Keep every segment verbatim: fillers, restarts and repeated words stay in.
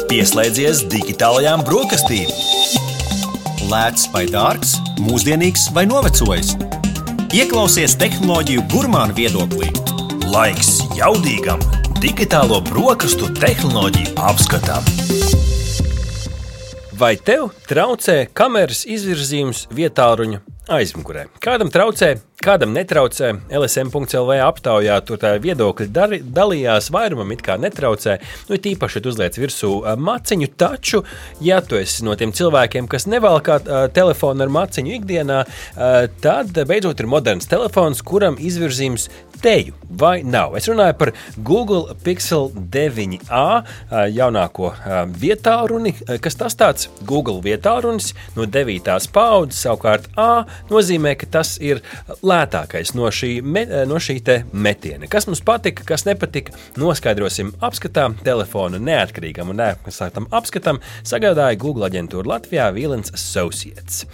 Pieslēdzies digitālajām brokastīm. Lēts vai dārgs, mūsdienīgs vai novecojis. Ieklausies tehnoloģiju gurmānu viedoklī. Laiks jaudīgam digitālo brokastu tehnoloģiju apskatam. Vai tev traucē kameras izvirzījums vietāluņa aizmugurē? Kādam traucē, kādam netraucē. L S M punkts L V aptaujā tur tā viedokļi dari, dalījās, vairumam it kā netraucē. Nu, tīpaši, ja tu uzliec virsū maciņu, taču, ja tu esi no tiem cilvēkiem, kas nevalkā uh, telefonu ar maciņu ikdienā, uh, tad beidzot ir moderns telefons, kuram izvirzījums teju vai nav. Es runāju par Google Pixel deviņi A jaunāko vietālruni. Kas tas tāds? Google vietālrunis no devītās paaudzes, savukārt A nozīmē, ka tas ir lētākais no šī, me, no šī te metiena. Kas mums patika, kas nepatika, noskaidrosim apskatā. Telefona neatkarīgam un neapskatātam apskatam sagādāja Google aģentūra Latvijā Vilens Associates.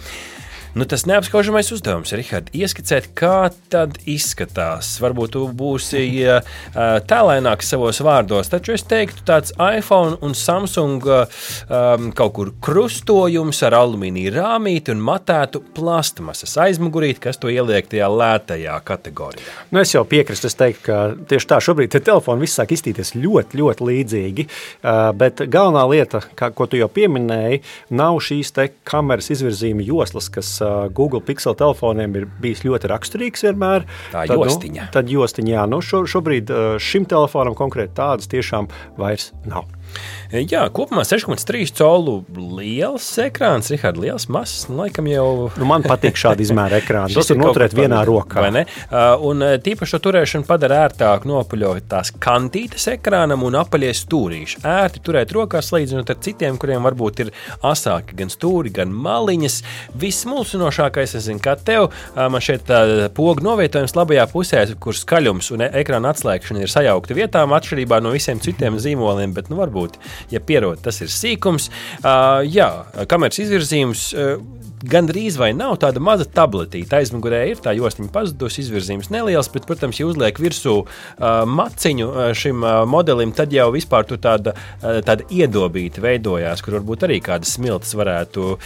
Nu, tas neapskaužamais uzdevums, Rihard, ieskicēt, kā tad izskatās. Varbūt tu būsi uh, tēlaināks savos vārdos, taču es teiktu tāds iPhone un Samsung um, kaut kur krustojums ar alumīnija rāmīti un matētu plastmasas aizmugurīti, kas to ieliek tajā lētajā kategorijā. Nu, es jau piekrītu, es teiktu, ka tieši tā šobrīd te telefoni viss sāk izstīties ļoti, ļoti līdzīgi, uh, bet galvenā lieta, kā, ko tu jau pieminēji, nav šīs te kameras izvirzījuma joslas, kas Google Pixel telefoniem ir bijis ļoti raksturīgs vienmēr. Tā tad, jostiņa. Nu, tad jostiņa, jā. Nu, šo, šobrīd šim telefonam konkrēti tādas tiešām vairs nav. Jā, kopumā seši komats trīs colu liels ekrāns, Rihard, liels, mazs, nu, laikam jau... Nu, man patīk šādi izmēra ekrāni, tas ir noturēt vienā rokā. Vai ne? Un tīpaši šo turēšanu padara ērtāk nopuļot tās kantītes ekrānam un apaļie stūrīši. Ērti turēt rokās, salīdzinot ar citiem, kuriem varbūt ir asāki gan stūri, gan maliņas. Vismulsinošākais, es zinu, kā tev, man šeit pogu novietojums labajā pusē, kur skaļums un ekrāna atslēgšana ir sajaukta vietām, atšķirībā no visiem citiem zīmoliem, bet nu varbūt ja pierod, tas ir sīkums. Uh, jā, kameras izvirzījums uh, gandrīz vai nav tāda maza tabletīta. Aizmugurē ir tā jostiņa pazudus, izvirzījums neliels, bet, protams, ja uzliek virsū uh, maciņu uh, šim uh, modelim, tad jau vispār tur tāda, uh, tāda iedobīta veidojās, kur varbūt arī kādas smiltas varētu uh,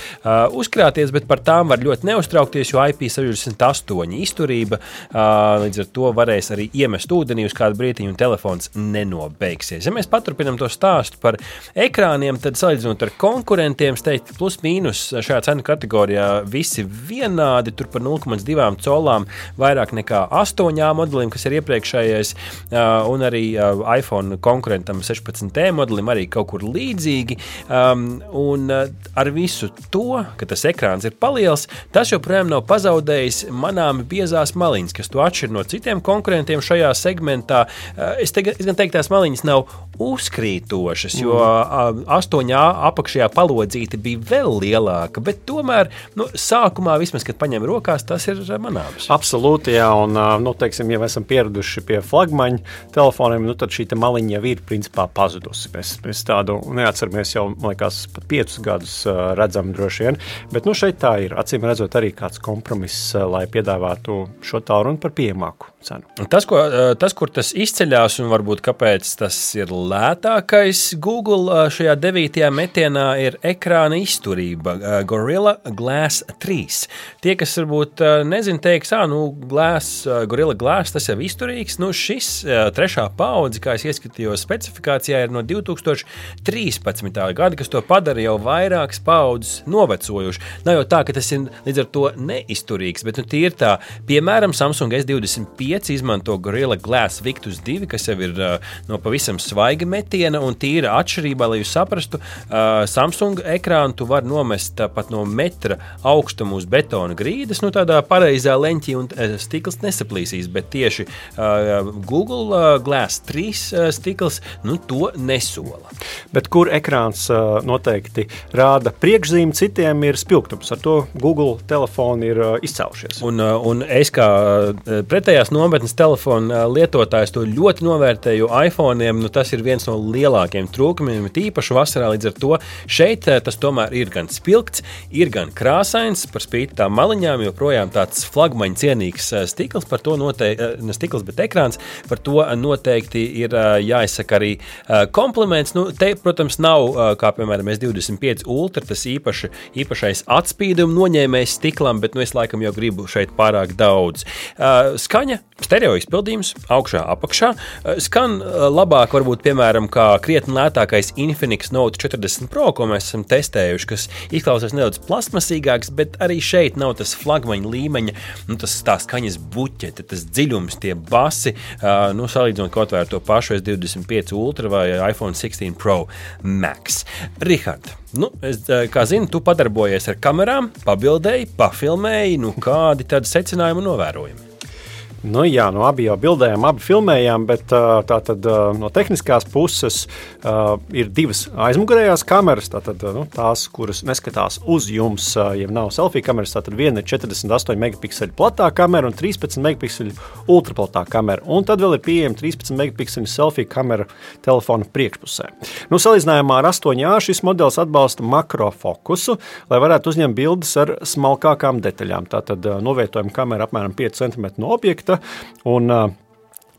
uzkrāties, bet par tām var ļoti neuztraukties, jo I P sešdesmit astoņi izturība, uh, līdz ar to varēs arī iemest ūdenī uz kādu brītiņu un telefons nenobeigsies. Ja mēs paturpinam to stāstu par ekrāniem, tad salīdzinot ar konkurentiem, teikt, plus mīnus šajā cenu kategorijā visi vienādi, tur par nulle komats divi colām vairāk nekā astoņi modelim, kas ir iepriekšējais, un arī iPhone konkurentam sešpadsmit T modelim arī kaut kur līdzīgi, un ar visu to, ka tas ekrāns ir paliels, tas joprojām nav pazaudējis manām biezās maliņas, kas to atšķir no citiem konkurentiem šajā segmentā. Es, te, es gan teiktu, tās maliņas nav uzkrītošas, jo astoņi apakšajā palodzīte bija vēl lielāka, bet tomēr nu, sākumā vismaz, kad paņem rokās, tas ir manāms. Absolūti, jā, un, nu, teiksim, ja mēs esam pieraduši pie flagmaņu telefoniem, nu, tad šī te maliņa jau ir principā pazudusi. Mēs, mēs tādu neatceramies jau, man liekas, pat piecus gadus redzam droši vien, bet, nu, šeit tā ir, acīm redzot arī kāds kompromiss, lai piedāvātu šo tālruni par pieejamāku cenu. Tas, ko, tas, kur tas izceļās un varbūt kāpēc tas ir lētākais Google šajā devītajā metienā, ir ekrāna izturība Gorilla Glass trīs. Tie, kas varbūt nezin, teiks, ā, nu, Glass, Gorilla Glass, tas jau izturīgs. Nu, šis trešā paudze, kā es ieskatījos specifikācijā, ir no divi tūkstoši trīspadsmitā gada, kas to padara jau vairākas paudzes novecojuši. Nav jau tā, ka tas ir līdz ar to neizturīgs, bet nu, tie ir tā, piemēram, Samsung S divdesmit pieci izmanto Gorilla Glass Victus divi, kas jau ir uh, no pavisam svaiga metiena un tīra atšķirībā, lai jūs saprastu, uh, Samsung ekrānu tu var nomest uh, pat no metra augstumu uz betona grīdas, nu tādā pareizā leņķī un uh, stikls nesaplīsīs, bet tieši uh, Google uh, Glass trīs uh, stikls, nu to nesola. Bet kur ekrāns uh, noteikti rāda priekšzīmi, citiem ir spilgtums, ar to Google telefoni ir uh, izcēlušies. Un, uh, un es kā uh, pretējās nometnes telefonu lietotājs to ļoti novērtē, jo iPhone'iem nu, tas ir viens no lielākiem trūkumiem, tīpaši vasarā līdz ar to. Šeit tas tomēr ir gan spilgts, ir gan krāsains, par spīti tām maliņām, joprojām tāds flagmaņa cienīgs stikls, par to noteikti, ne stikls, bet ekrāns, par to noteikti ir jāizsaka arī kompliments. Nu, te, protams, nav, kā piemēram, S divdesmit pieci Ultra, tas īpaši, īpašais atspīduma noņēmējs stiklam, bet nu, es laikam jau gribu šeit pārāk daudz. Skaņa, stereo izpildījums, augšā, apakšā. Skan labāk, varbūt, piemēram, kā krietni lētākais Infinix Note četrdesmit Pro, ko mēs esam testējuši, kas izklausās nedaudz plasmasīgāks, bet arī šeit nav tas flagmaņa līmeņa, nu, tas tā skaņas buķete, tas dziļums, tie basi, nu, salīdzinot kaut vai ar to pašu S divdesmit pieci Ultra vai iPhone sixteen Pro Max. Rihard, nu, es, kā zinu, tu padarbojies ar kamerām, pabildēji, pafilmēji, nu, kādi tad secinājumi un novērojumi? Nu, jā, nu, abi jau bildējām, abi filmējām, bet tā tad no tehniskās puses uh, ir divas aizmugurējās kameras, tātad nu, tās, kuras neskatās uz jums, ja nav selfie kameras, tātad viena ir četrdesmit astoņi megapikseļu platā kamera un trīspadsmit megapikseļu ultraplatā kamera, un tad vēl ir pieejama trīspadsmit megapikseļu selfie kamera telefona priekšpusē. Nu, salīdzinājumā ar astoņi A šis modelis atbalsta makrofokusu, lai varētu uzņemt bildes ar smalkākām detaļām, tātad novietojuma kamera apmēram pieci centimetri no objekta, un uh,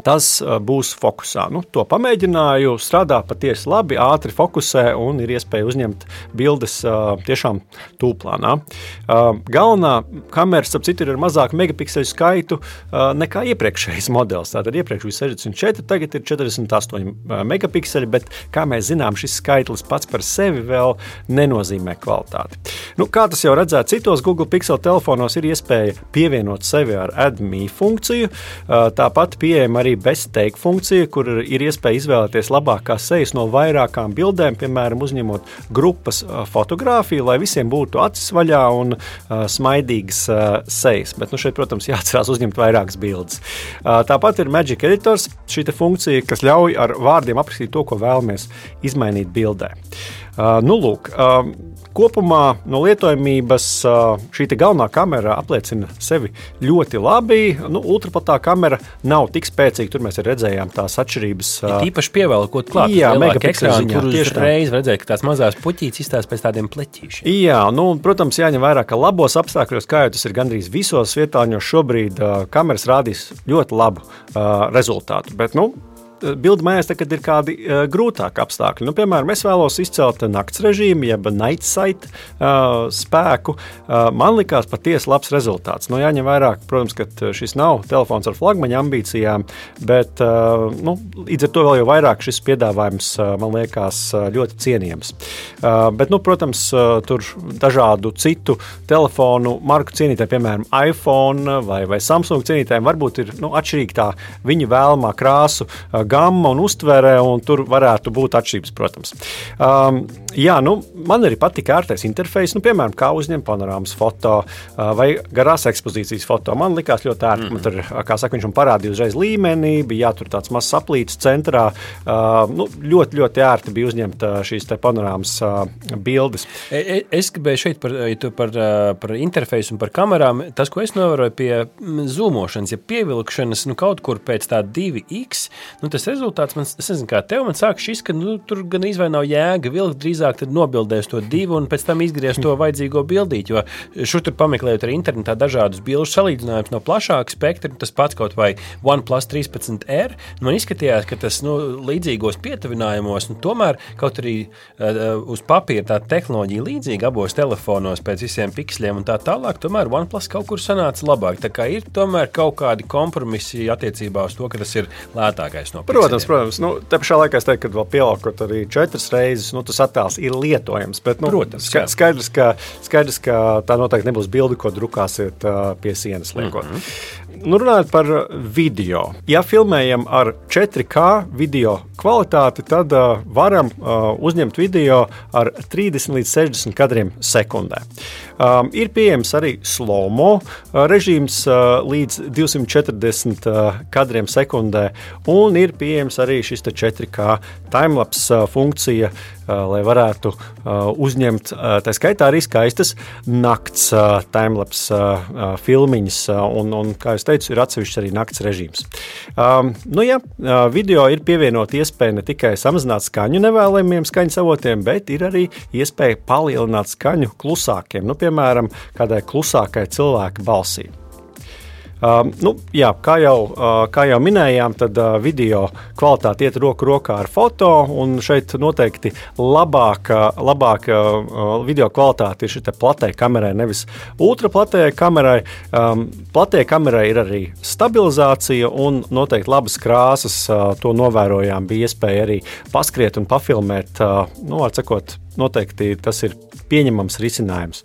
tas uh, būs fokusā. Nu, to pamēģināju, strādā patiesi labi, ātri fokusē un ir iespēja uzņemt bildes uh, tiešām tūplānā. Uh, galvenā kamera, starp citu, ir ar mazāku megapikseļu skaitu uh, nekā iepriekšējais modelis. Tātad iepriekš bija sešdesmit četri, tagad ir četrdesmit astoņi megapikseļi, bet, kā mēs zinām, šis skaitlis pats par sevi vēl nenozīmē kvalitāti. Nu, kā tas jau redzēt, citos Google Pixel telefonos ir iespēja pievienot sevi ar Add Me funkciju, uh, tāpat pieejama arī bezteik funkcija, kur ir iespēja izvēlēties labākās sejas no vairākām bildēm, piemēram, uzņemot grupas fotogrāfiju, lai visiem būtu acis vaļā un uh, smaidīgas uh, sejas. Bet nu, šeit, protams, jāatcerās uzņemt vairākas bildes. Uh, tāpat ir Magic Editors, šī funkcija, kas ļauj ar vārdiem aprakstīt to, ko vēlamies izmainīt bildē. Uh, nu, lūk, uh, kopumā no lietojamības uh, šī galvenā kamera apliecina sevi ļoti labi. Nu, ultraplatā kamera nav tik spēcīga, tur mēs redzējām tās atšķirības. Uh, ja tīpaši pievēlkot klāt, jā, megapikseļu tur uzreiz redzēja, ka tās mazās puķītes izstās pēc tādiem pleķīšiem. Jā, nu, protams, jāņem vērā, ka labos apstākļos, kā jau tas ir gandrīz visos vietāņos, šobrīd uh, kameras rādīs ļoti labu uh, rezultātu, bet, nu, bildi mājās, kad ir kādi uh, grūtāki apstākļi. Nu, piemēram, es vēlos izcelt nakts režīmu, jeb night sight uh, spēku. Uh, man likās patiesi labs rezultāts. Nu, jāņem vērā, protams, ka šis nav telefons ar flagmaņa ambīcijām, bet uh, nu, līdz ar to vēl jau vairāk šis piedāvājums, uh, man liekas, uh, ļoti cienījams. Uh, bet, nu, protams, uh, tur dažādu citu telefonu marku cienītājiem, piemēram, iPhone vai, vai Samsung cienītājiem, varbūt ir nu, atšķirīgi tā viņa vēlamā krāsu uh, gamma un uztvere, un tur varētu būt atšķirības, protams. Um, jā, nu, man arī patika ērtais interfejs, nu, piemēram, kā uzņemt panorāmas foto uh, vai garās ekspozīcijas foto. Man likās ļoti ērti, mm. man tur, kā saka, viņš man parādīja uzreiz līmenī, bija jātur tāds mazs aplīts centrā. Uh, nu, ļoti, ļoti ērti bija uzņemt uh, šīs te panorāmas uh, bildes. Es gribēju šeit par, par, par interfeisu un par kamerām. Tas, ko es novēroju pie zūmošanas, ja pievilkšanas, nu, kaut kur pēc tā divi iks, nu, tas rezultāts, man, es nezinu, kā tev, man sāk šis, ka nu, tur gan izvai nav jēga vilkt, drīzāk tad nobildēs to divu un pēc tam izgriez to vajadzīgo bildīt, jo šur tur pameklējot arī internetā dažādus bilžu salīdzinājums no plašāka spektra, tas pats kaut vai OnePlus trīspadsmit R, man izskatījās, ka tas nu, līdzīgos pietuvinājumos, nu, tomēr kaut arī uh, uz papīra tā tehnoloģija līdzīga abos telefonos pēc visiem piksļiem un tā tālāk, tomēr OnePlus kaut kur sanāca labāk, tā kā ir tomēr kaut kādi kompromisi attiecībā uz to, ka tas ir lētākais no Protams, protams. Nu, te pašā laikā es teiktu, ka vēl pielākot arī četras reizes, nu, tas attēls ir lietojams, bet, nu, protams, ska, skaidrs, ka, skaidrs, ka tā noteikti nebūs bildi, ko drukāsiet uh, pie sienas liekot. Mm-hmm. Nu, runājot par video. Ja filmējam ar četri K video kvalitāti, tad uh, varam uh, uzņemt video ar trīsdesmit līdz sešdesmit kadriem sekundē. Um, ir pieejams arī slow-mo uh, režīms uh, līdz divsimt četrdesmit uh, kadriem sekundē, un ir pieejams arī šis četri K timelapse uh, funkcija, lai varētu uzņemt, tā skaitā arī skaistas nakts timelapse filmiņas, un, un, kā es teicu, ir atsevišķs arī nakts režīms. Um, nu jā, video ir pievienot iespēju ne tikai samazināt skaņu nevēlamiem skaņas avotiem, bet ir arī iespēja palielināt skaņu klusākiem, nu, piemēram, kādai klusākai cilvēka balsī. Uh, nu, jā, kā, jau, uh, kā jau minējām, tad uh, video kvalitāte iet roku rokā ar foto, un šeit noteikti labāka, labāka uh, video kvalitāte ir šitā platē kamerai, nevis ultraplatējai kamerai. Um, platējai kamerai ir arī stabilizācija un noteikti labas krāsas, uh, to novērojām, bija iespēja arī paskriet un pafilmēt, uh, nu, var sakot, noteikti tas ir pieņemams risinājums.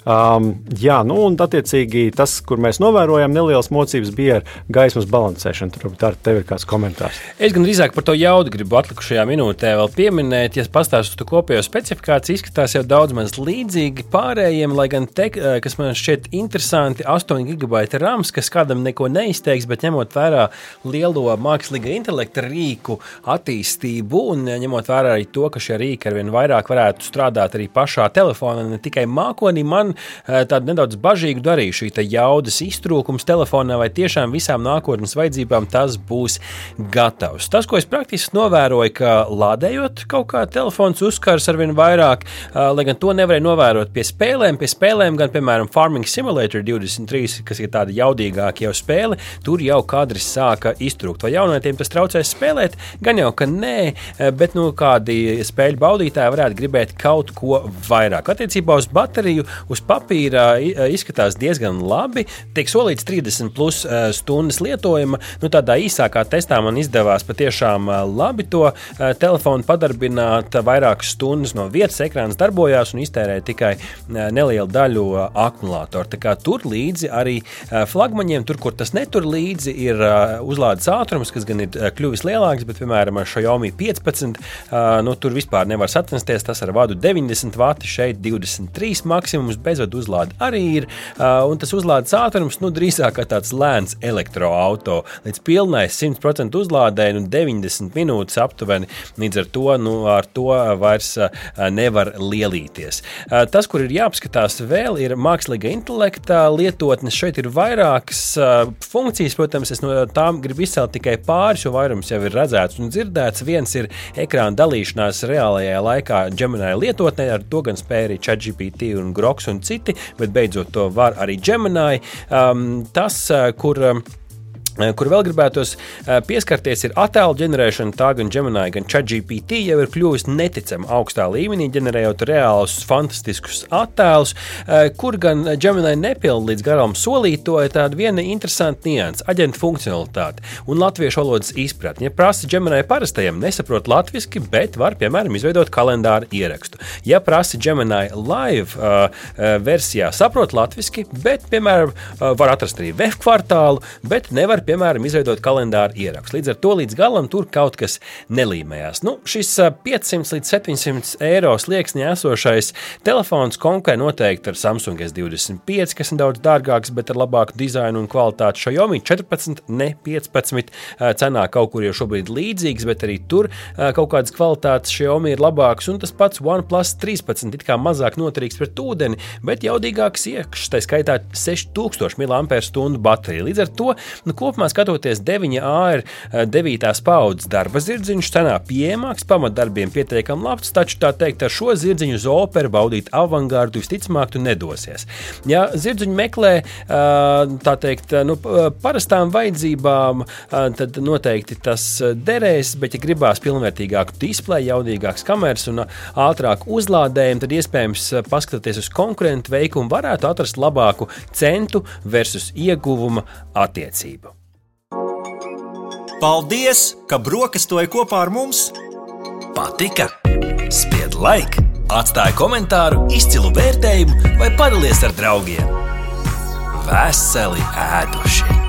Um, jā, nu un attiecīgi tas, kur mēs novērojam nelielas mocības, bija ar gaismas balansēšanu. Tur tā tev ir kāds komentārs. Es gan drīzāk par to jaudu gribu atlikušajā minūtē vēl pieminēt. Ja pastāstu to kopējo specifikāciju, izskatās jau daudz maz līdzīgi pārējiem, lai gan te, kas man šķiet interesanti, astoņi gigabaiti rams, kas kādam neko neizteiks, bet ņemot vērā lielo mākslīga intelekta rīku attīstību un ņemot vērā arī to, ka šie rīki arvien vairāk varētu strādāt arī pašā telefonā, ne tikai mākonī, man tādu nedaudz bažīgu darīja šī jaudas iztrūkums telefonā, vai tiešām visām nākotnes vajadzībām tas būs gatavs. Tas, ko es praktiski novēroju, ka lādējot kaut kā telefons uzkars arvien vairāk, lai gan to nevarēja novērot pie spēlēm, pie spēlēm gan, piemēram, Farming Simulator divdesmit trīs, kas ir tāda jaudīgāka jau spēle, tur jau kadri sāka iztrūkt. Vai jaunietiem tas traucēs spēlēt? Gan jau, ka nē, bet nu kādi spēļu baudītāji varētu gribēt kaut ko vairāk. Attiecībā uz bateriju, uz papīra izskatās diezgan labi. Tiek solīts trīsdesmit plus stundas lietojuma. Nu, tādā īsākā testā man izdevās patiešām labi to telefonu padarbināt. Vairākas stundas no vietas ekrāns darbojās un iztērēja tikai nelielu daļu akumulātoru. Tā kā tur līdzi arī flagmaņiem, tur, kur tas netur līdzi, ir uzlādes ātrums, kas gan ir kļuvis lielāks, bet, piemēram, ar Xiaomi piecpadsmit, nu, tur vispār nevar sacensties. Tas ar vadu deviņdesmit vati, šeit divdesmit trīs maksimums, bezvadu uzlāde arī ir, un tas uzlādes ātrums, nu, drīzāk kā tāds lēns elektroauto. Līdz pilnai simt procentu uzlādē, nu, deviņdesmit minūtes aptuveni, līdz ar to, nu, ar to vairs nevar lielīties. Tas, kur ir jāapskatās vēl, ir mākslīga intelekta lietotnes. Šeit ir vairākas funkcijas, protams, es no tām gribu izcelt tikai pāris, jo vairums jau ir redzēts un dzirdēts. Viens ir ekrāna dalīšanās reālajā laikā Gemini lietotnē, ar to gan spēja arī ChatGPT un Groks un citi, bet beidzot to var arī Gemini. Um, tas, kur... Kur vēl gribētos pieskarties, ir attēlu ģenerēšana. Tā gan Gemini, gan ChatGPT jau ir kļuvis neticami augstā līmenī, ģenerējot reālus, fantastiskus attēlus, kur gan Gemini nepilda līdz garam solīto, ir tāda viena interesanta nianse - aģenta funkcionalitāte un latviešu valodas izpratne. Ja prasa Gemini parastajam, nesaprot latviski, bet var, piemēram, izveidot kalendāru ierakstu. Ja prasa Gemini live uh, versijā, saprot latviski, bet, piemēram, uh, var atrast arī web kvartālu, bet nevar piemēram, izveidot kalendāru ierakstu. Līdz ar to līdz galam tur kaut kas nelīmējās. Nu, šis piecsimt līdz septiņsimt eiro slieksnī esošais telefons konkurē noteikti ar Samsung S divdesmit pieci, kas ir daudz dārgāks, bet ar labāku dizainu un kvalitāti. Xiaomi četrpadsmit, ne piecpadsmit, cenā kaut kur jau šobrīd līdzīgs, bet arī tur kaut kādas kvalitātes Xiaomi ir labāks, un tas pats OnePlus trīspadsmit, it kā mazāk noturīgs pret ūdeni, bet jaudīgāks iekšs, tā skaitā seši tūkstoši miliampēru stundu baterija. Līdz ar to, nu, kopumā skatoties, deviņi A ir devītās paudzes darba zirdziņš, cenā pieejamāks, pamatdarbiem pietiekam labs, taču tā teikt, ar šo zirdziņu uz operu baudīt avangārdu visticamāk tu nedosies. Ja zirdziņu meklē, tā teikt, nu, parastām vajadzībām, tad noteikti tas derēs, bet ja gribās pilnvērtīgāku displeju, jaudīgāks kameras un ātrāku uzlādējumu, tad iespējams paskatīties uz konkurentu veikumu varētu atrast labāku centu versus ieguvuma attiecību. Paldies, ka brokastoji kopā ar mums! Patika? Spied like, atstāj komentāru, izcilu vērtējumu vai padalies ar draugiem. Veseli ēduši!